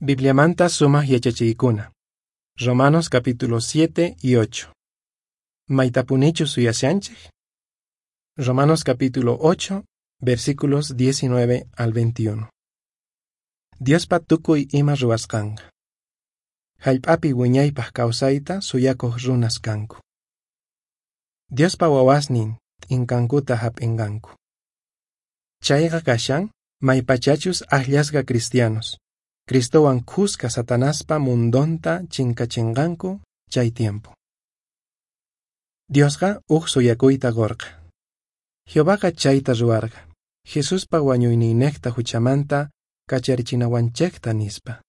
Bibliamanta sumaq yachachiykuna. Romanos capítulo 7 y 8. Maytapunichu suyashanchik. Romanos capítulo 8, versículos 19 al 21. Diospa tukuy ima ruwasqanqa. Hallp'api wiñaypaq kawsayta suyakuq runas kanku. Diospa wawasnin t'inkankuta hap'inqanku. Chayqa kashan maypachachus akllasqa cristianos, Cristowan khuska Satanaspa mundonta chinkachinqanku chay tiempo. Diosqa uj suyakuyta qurqa. Jehovaqa chayta ruwarqa, Jesuspa wañuyninniqta huchamanta kacharichinawanchikta nispa.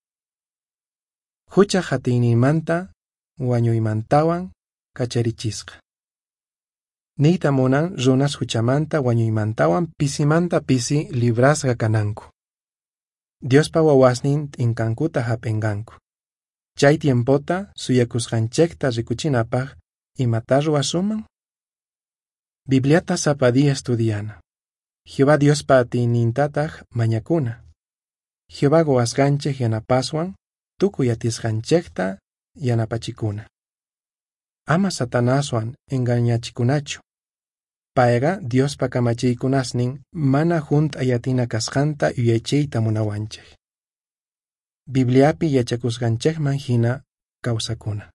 Hucha hatiyninmanta wañuymantawan kacharichisqa. Niyta munan runas huchamanta wañuymantawan pisimanta pisi librasqa kananku. Diospa wawasnin t'inkankuta hap'inqanku. Chay tiempota suyakusqanchikta rikuchinapaq imata ruwasunman? Bibliata sapa día estudiana. Jehová Diospa atiynintataq mañakuna. Jehová quwasqanchik yanapaswan tukuy atisqanchikta yanapachikuna. Ama Satanaswan engañachikunachu. Payqa Diospa kamachiykunasnin mana hunt'ay atina kasqanta yuyaychayta munawanchik. Bibliapi yachakusqanchikman hina kawsakuna.